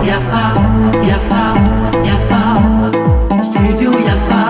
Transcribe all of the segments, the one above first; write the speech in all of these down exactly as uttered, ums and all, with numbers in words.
Yafa, yafa, yafa. Studio yafa.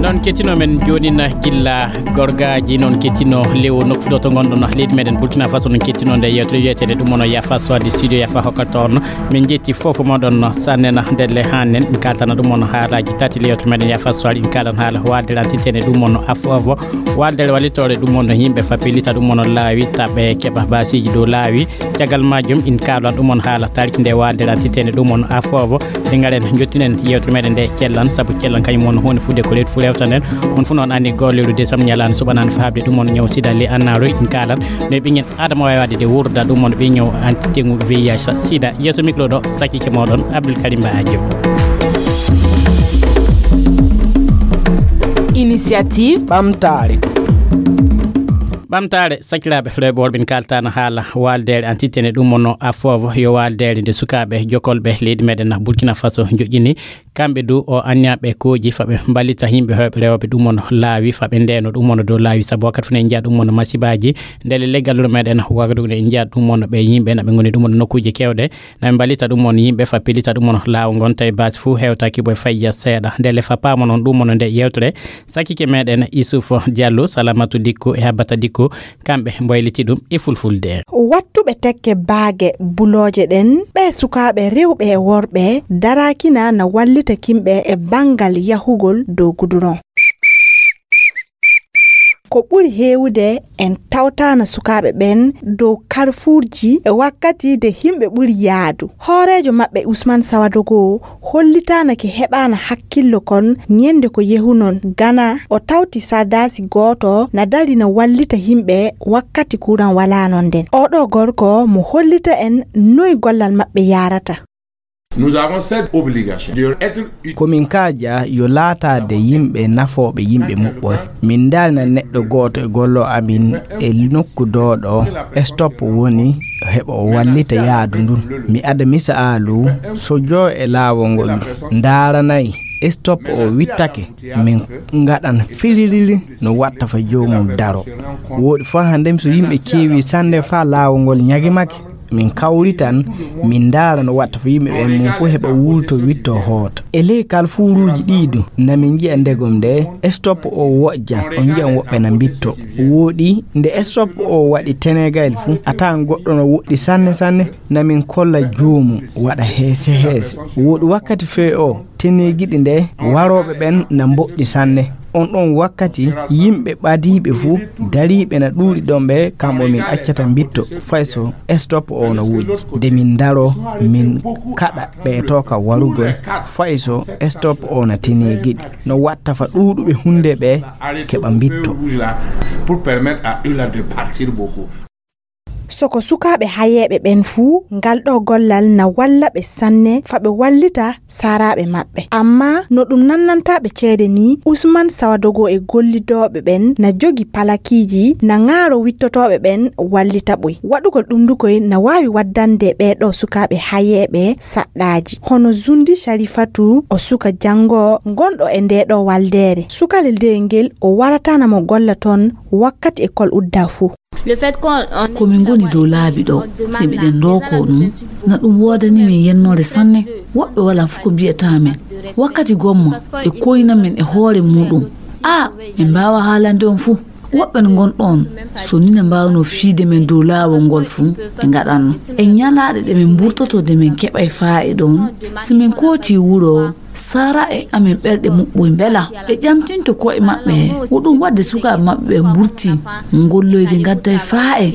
Noon kettino men joonin gilla gorgaaji, noon kettino lewo nokku ɗo to ngonɗon leydi meɗen Burkina Faso, noon kettino nde yewtere wiyeteende ɗum woni Yafa Soirée studio Yafa hokkata on. Min njetti fof moɗon sannen ndelle hannen, min kaltana ɗum woni haalaaji tati leyewtere meɗen Yafa Soirée, min kalan haala waaldere antitene ɗum woni afoovo, waaldere wallitoore ɗum woni yimɓe fappilita ɗum woni laawi taɓe keɓa baasiiji dow laawi. Caggal majjum in kaalan ɗum woni haala taariki nde waaldere antitene ɗum woni afoovo. Ɓe ngaren jottinen yewtere meɗen nde cellan, sabu cellan kañum woni huunde fuɗde ko reedu fu rewta nden. On fu noon anndi golle ɗo décembre ñalaande suɓanaande faabde ɗum woni ñaw sida le annaaroy in kaalan no ɓe ɓingen Adama wawi wadde de wurda ɗum woni ɓe ñaw anti tengu V I H sida. Yeeso micro ɗo sakike moɗon Abdoul Karim Ba Adio. Initiative ɓamtaare. Ɓamtaare sakiraaɓe rewɓe worɓe en kaltana haala waaldere antitene ɗum woni afoovo yo waaldere nde sukaaɓe jokolɓe leydi meɗen Burkina Faso joƴƴini. Kamɓe du o anniyaɓe kooji faɓe mballita yimɓe hewɓe rewɓe ɗum woni laawi faɓe ndeno ɗum woni dow laawi sabu wakkati fu ne njiya ɗum woni masibaji. Ndele leggal wuro meɗen wagadu ne njiya ɗum woni ɓe yimɓe naɓe ngoni ɗum woni nokkuji kewɗe naɓe mballita ɗum woni yimɓe fappilita ɗum woni laawo ngon tawi basi fu hewtaki boy fayya seeɗa. Ndele fa paamo noon ɗum woni nde yewtere sakike meɗen Isuf Diallo, Salamatu Dikko e Habbata Dikko. Kamɓe mboyliti ɗum e fulfulde. Wattuɓe tekke baage bulooje ɗen, ɓe sukaaɓe rewɓe e worɓe, darakina na wallita kimɓe e banngal yahugol dow guduron. Ko ɓuri heewude en tawtaana sukaaɓe ɓen dow karfuurji e wakkati de himɓe ɓuri yaadu. Hooreejo maɓɓe Usman Sawadogo hollitaana ke heɓaana hakkillo kon ñende ko yehunon Gana, o tawti sardasi gooto na dari na wallita himɓe wakkati kuran walaano nden. Oɗo gorko mo hollita en noy gollal maɓɓe yarata. Nous avons cette obligation de être ut- Ko min kaaja yo laataade yimɓe nafooɓe yimɓe muɓɓoy. Min ndaalna neɗɗo gooto e gollo amin e nokku dooɗo stop woni heɓa o wallita yaadu ndun. Mi ada misaalu, so joo e laawol ngol ndaaranay stop o wittake, min ngaɗan fililili no watta fa joomum daro. Wooɗi fa hannde so yimɓe keewi sannde fa laawol ngol ñagimake, min kawritan, min ndaara no watta fa yimɓe ɓen mum fof heɓa wulto witto hoota. E ley kalfuuruuji ɗii du, na min njiya ndegom nde stop o woƴja, on njiyan woɓɓe na mbitto. Wooɗi nde stop o waɗi tenegayel fu, a tawan goɗɗo no woɗɗi sanne sanne, na min kolla joomum waɗa heese heese. Wooɗi wakkati fee o, tenegiɗi nde warooɓe ɓen na mboɗɗi sanne. On ɗon wakkati yimɓe ɓadiiɓe fu dariiɓe na ɗuuɗi ɗon ɓe, kamɓe min accata mbitto, fay so stop o na woodi. Nde min ndaro, min kaɗa ɓe to ka warugol, fay so stop o na tenegiɗi. No watta fa ɗuuɗuɓe hunde ɓe keɓa mbitto. Pour permettre à eux là de partir beaucoup. So ko sukaaɓe hayeeɓe ɓen fuu, ngal ɗoo gollal na walla ɓe sanne fa ɓe wallita saaraaɓe maɓɓe. Ammaa no ɗum nannantaa ɓe ceede nii, Usman Sawadogo e gollidooɓe ɓen na jogi palakiiji, na ŋaaro wittotooɓe ɓen wallita ɓoy. Waɗugol ɗum du koy na waawi waddande ɓee ɗoo sukaaɓe hayeeɓe saɗɗaaji. Hono Zundi Sharifatu, o suka janngoowo ngonɗo e ndee ɗoo waldeere. Sukalel dee ngel o warataana mo golla toon wakkati ekol uddaa fuu. Ko min ngoni dow laabi ɗo, nde miɗen ndookoo ɗum, na ɗum woodani min yennoore sanne. Woɓɓe walaa fof ko mbiyata men. Wakkati gomma, ɓe koyna men e hoore muuɗum. Aa, min mbaawaa haalande on fof. Woɓɓe no ngonɗon, so nii na mbaawnoo fiyde men dow laawol ngol fof, ɓe ngaɗanno. E ñalaaɗe ɗe min mburtotoo nde min keɓay faayiida on, si min kootii wuro, Sara e amen ɓerɗe muɓɓoy mbela. Ɓe ƴamtinto ko'e maɓɓe, ko ɗum waɗde sukaaɓe maɓɓe ɓe mburti, ngolloyde ngadday faa e.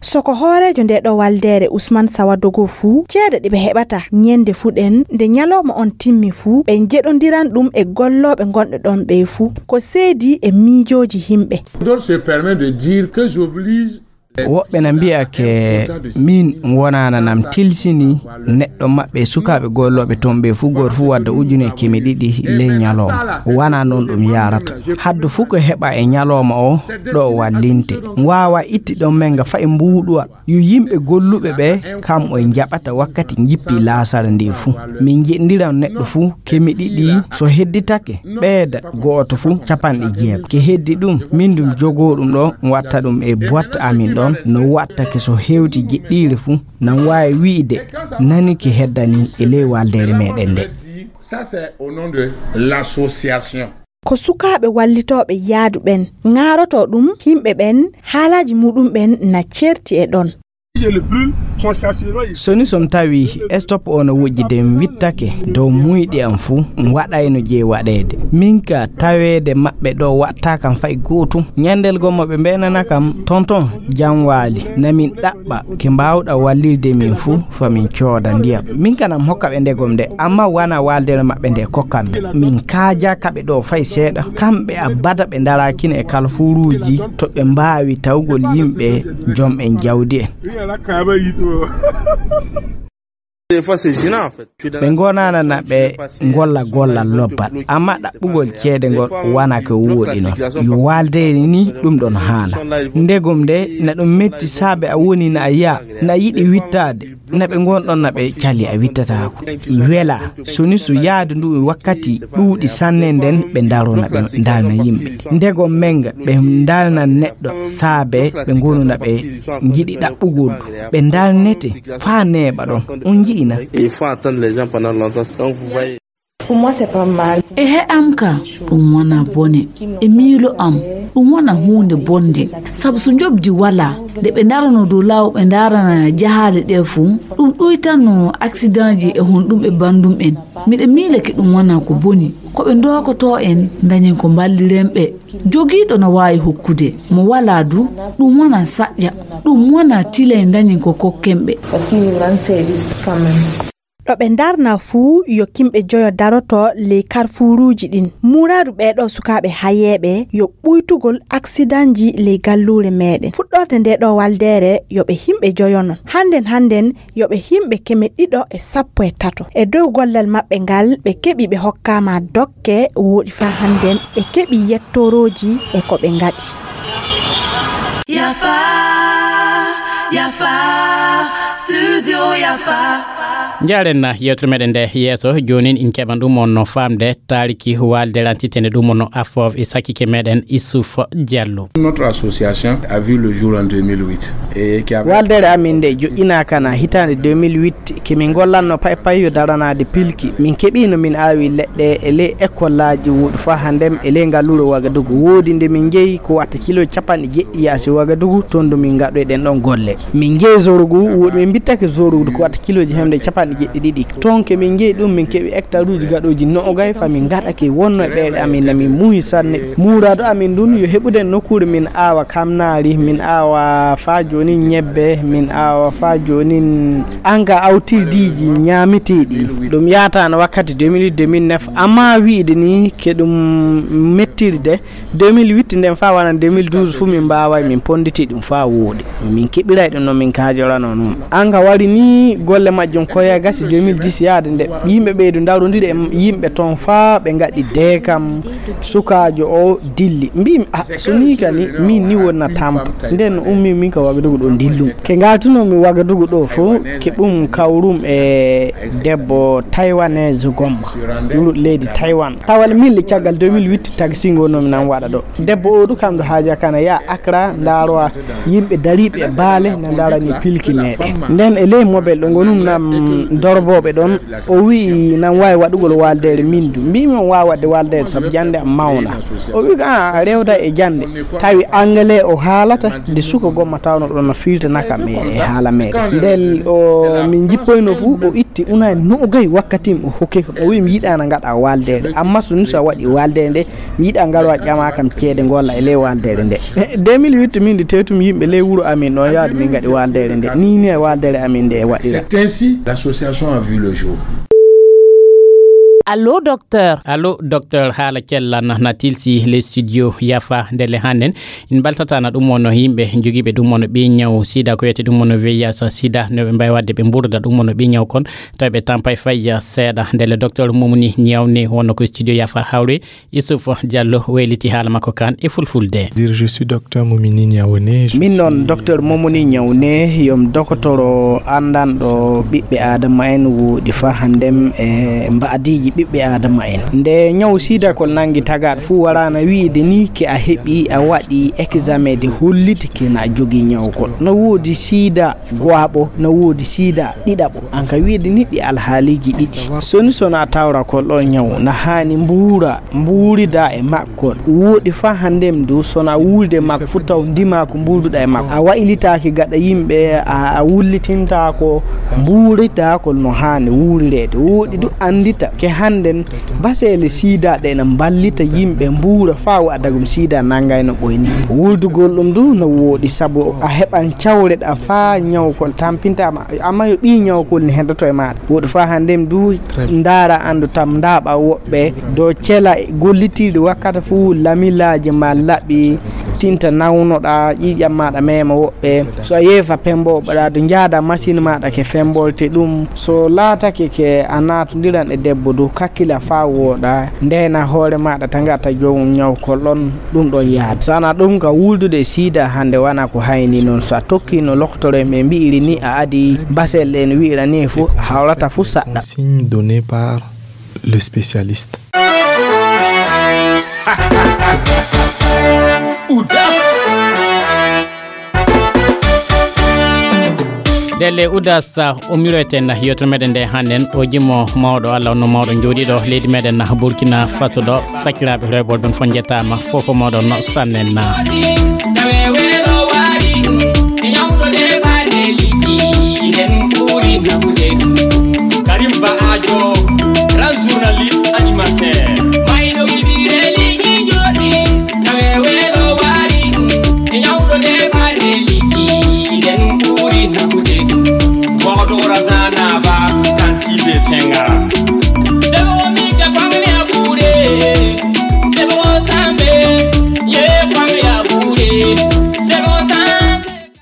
So ko hooreejo ndee ɗoo waldeere Usman Sawadogo fuu, ceede ɗe ɓe heɓata ñende fuu ɗen, nde ñalooma on timmi fuu, ɓe njeɗondiran ɗum e gollooɓe ngonɓe ɗon ɓee fuu. Ko seedi e miijooji himɓe. D'autres se permet de dire que j'oblige. Woɓɓe na mbiya ke min wonaana nam tilsini neɗɗo maɓɓe e sukaaɓe gollooɓe toon ɓe fuu gooto fuu wadda ujune e keme ɗiɗi ley ñalooma. Wanaa noon ɗum yaarata. Haddu fuu ko heɓa e ñalooma o ɗo wallinte. Waawa itti ɗon men nga fayi mbuuɗuwa. Yo yimɓe golluɓe ɓe kam o njaɓata wakkati njippi laasara ndi fuu. Min njeɗndiran neɗɗo fuu keme ɗiɗi so hedditake ɓeyda gooto fuu capanɗe jeego. Ke heddi ɗum min ɗum jogoo ɗum ɗo watta ɗum e boîte amin ɗo. On no wattake so hewti jiɗɗiire fuu, nan waawi wi'de nani ki heddani e ley waaldeere meɗen nde. Ça, c'est au nom de l'association. Ko sukaaɓe wallitooɓe yaadu ɓen ŋaarotoo ɗum, yimɓe ɓen haalaaji muɗum ɓen na ceerti e ɗon. So ni son tawi stop o no wujji de mi wittake dow muyɗi am fuu, mi waɗayno jey waɗeede. Min ka taweede maɓɓe ɗo waɗtaa kam fay gootum. Ñandel gomma ɓe mbeenana kam, "Tonton, jam waali, na min ɗaɓɓa ke mbaawɗa wallirde min fuu, fa min cooda ndiyam." Min kana mi hokka ɓe ndegom nde, amma wana waalde maɓɓe nde kokkam. Min kaaja ka ɓe ɗo fay seeɗa. Kamɓe abada ɓe ndaraakino e kalfuuruuji to ɓe mbaawi tawgol yimɓe jom en jawdi en. Ɓe ngonana na ɓe ngolla gollal lobbal, amma ɗaɓɓugol ceede ngol wana ko wooɗi non. Yo waaldeere ni ɗum ɗon haala. Ndegom nde na ɗum metti saabe a woni na a yi'a na yiɗi wittaade, na ɓe ngon ɗon na ɓe cali a wittataako. Wela, so ni so yaadu ndu e wakkati ɗuuɗi sanne nden ɓe ndaroo na ɓe ndarna yimɓe. Ndegom menga ɓe ndarna neɗɗo saabe ɓe ngonu na ɓe njiɗi ɗaɓɓugol ɗum. Ɓe ndarnete faa neeɓa ɗon. On nji'ina? Il faut attendre les gens pendant longtemps. Donc, vous voyez. E he'am ka, ɗum wona bone. E miilo am, ɗum wona huunde bonde. Sabu so njoɓdi walaa, nde ɓe ndarano dow laaw ɓe ndarana jahaale ɗe fuu, ɗum ɗuytanno aksidanji e honɗum e banndum en. Miɗa miilake ɗum wona ko boni. Ko ɓe ndookotoo en ndañen ko mballiren ɓe. Jogiiɗo na waawi hokkude, mo walaa du, ɗum wona saƴƴa. Ɗum wona tilay ndañen ko kokken ɓe. Parce qu'ils nous rendent service quand même. Ɗo ɓe ndarna fuu yo kimɓe joyo daroto ley karfuuruuji ɗin. Muuraadu ɓee ɗoo sukaaɓe hayeeɓe yo ɓuytugol aksidanji ley galluure meɗen. Fuɗɗorde nde ɗoo waldeere yo ɓe himɓe joyo non. Hannden hannden yo ɓe himɓe keme ɗiɗo e sappo e tato. E dow gollal maɓɓe ngal ɓe keɓi ɓe hokkaama dokke wooɗi faa hannden ɓe keɓi yettorooji e ko ɓe ngaɗi. Yafa, Yafa, Studio Yafa. Njaaren na yewtere meɗen nde yeeso, joonin in keɓan ɗum on no faamde taariki waalde lantitende ɗum on no affoof e sakike meɗen Issouf Diallo. Notre association a vu le jour en deux mille huit. Et qui a... Waaldeere amin nde joƴƴinaaka na hitaande deux mille huit, ke min ngollanno pay pay yo daranaade pilki. Min keɓiino min aawi leɗɗe e ley ekollaaji wooɗi faa hannden e ley ngalluure Wagadugu. Woodi nde min njeyi ko watta kilo capanɗe jeɗɗi yaasi Wagadugu, toon ɗo min ngaɗoyɗen ɗon golle. Min njeyi Zorogu, woodi min mbittake Zorogu ko watta kilooji hemde capanɗe jeɗɗi ɗiɗi. Toon ke min njeyi ɗum, min keɓi hectare uji gaɗooji noogay, fa min ngaɗake wonno e ɓeeɗe amin, na min muuyi sanne. Muuraadu amin ndun yo heɓuden nokkuure min aawa kamnaari, min aawa faa joonin ñebbe, min aawa faa joonin anga awtirdiiji ñaameteeɗi. Ɗum yaataano wakkati deux mille huit deux mille neuf, amma wi'de ni ke ɗum mettirde, deux mille huit nden faa wona deux mille douze fuu min mbaaway min ponnditi ɗum faa wooɗi. Min keɓiray ɗum no min kaajorano non. Anga wari ni golle majjum koya gasi deux mille dix yaade nde yimɓe ɓeydu ndarondiri e yimɓe toon faa ɓe ngaɗi deekam sukaajo o dilli. Mbiimi, "Ah, so nii ka ni, min ni wonna tampa." Nden no ummi min ka Wagadugu ɗo dillum. Ke ngaltuno mi Wagadugu ɗo fuu, ke ɗum kawrum e debbo taiwanese gomma, wuro leydi Taiwan. Tawa le min le caggal deux mille huit taxi ngo nomi nan waɗa ɗo. Debbo o du kam ɗo haaja kana ya Accra, ndarowa yimɓe dariiɓe e baale na ndarani pilki meɗen. Nden e ley mobel ɗo ngonum nam dorbooɓe ɗon, o wi'i nan waawi waɗugol waaldeere min du. Mbiimi on waawa waɗde waaldeere sabu jannde am mawna. O wi'i ko a rewda e jannde. Tawi anglais o haalata, nde suka gomma tawno ɗon no firtana kam e, e haala meɗen. Nden o min jippoyno fuu, o itti unani noogay wakkati o hokki kam. O wi'i mi yiɗaana ngaɗa waaldeere. Amma so ni so a waɗi waaldeere nde, mi yiɗa ngarwa ƴama kam ceede ngolla e ley waaldeere nde. Deux mille huit min de tewtum yimɓe ley wuro amin ɗon yaade min ngaɗi waaldeere nde. Ni ni e waaldeere amin nde e waɗira. C'est ainsi l'association a vu le jour. Allo, docteur. Allo, docteur, haala cellan na tilsi le studio Yafa ndele hannden. In mbaltatana ɗum wonno yimɓe jogiiɓe ɗum wonno ɓi ñaw sida, ko wiyete ɗum wonno V I H sida, no ɓe mbawi wadde ɓe mburda ɗum wonno ɓi ñaw kon, tawi ɓe tampay fay seeɗa. Ndele docteur Momoni Ñawne wonno ko studio Yafa hawre, Issouf Diallo wayliti haala makko kan e fulfulde. Dire, je suis docteur Momini Niaoné. Min noon docteur Momoni Ñawne, yom dokotoro anndanɗo ɓiɓɓe aadama en woɗi fa hanndem e mbaadiiji ɓiɓɓe aadama en. Nde ñaw siidakol nanngi tagaaɗo fuu waraana wiide ni ke a heɓi a waɗi examen de holliti ke na jogii ñawkol. No woodi siida go'aɓo, no woodi siida ɗiɗaɓo. An ka wiide ni ɗi alhaaliiji ɗiɗi. Soni sona tawra kol ɗo ñaw na haani mbuura, mbuurida e makkol. Woodi fa handem du sona wuulde makko fu taw ndima ko mbuuruɗa e makko. A waylitaaki gaɗa yimɓe, a, a wullitintaako mbuuridakol no haani wuurireede. Woodi du anndita ke hannden baseele siida ɗe na mballita yimɓe mbuura faa waɗagum siida nanngay no ɓoyni. Wuldugol ɗum du no woodi sabu a heɓan cawreɗa faa ñawkol tampintaama. Amma yo ɓii ñawkol ni heddoto e maaɗa. Woodi faa hannden du ndaara anndu tam ndaaɓa woɓɓe do cela gollitiiɗi wakkati fuu lamilaaji ma laɓi tinta nawnoɗa ƴiiƴam maaɗa meema woɓɓe. So a yeefa pembo ɓaɗa du njaada machine maaɗa ke fembolte ɗum. So laatake ke a naatondiran e debbo du kakkila faa wooɗa. Ndena hoore maaɗa tagata joom ñawkol ɗon ɗum ɗon yaade. Sana ɗum ka wuldude e siida hannde wana ko hayni noon. So a tokki no loktore men mbi'iri ni a adi basel ɗen wi'ira ni fu a hawrata fu saɗɗa. Consigne donnée par le spécialiste. Delle Udas, o miroyten yewtere meɗen nde hannden, o jimo mawɗo Allah, no mawɗo jooɗiiɗo leydi meɗen Burkina Faso ɗo. Sakiraaɓe rewɓe ɗon fof njettaama, fof ko mawɗo no sannen.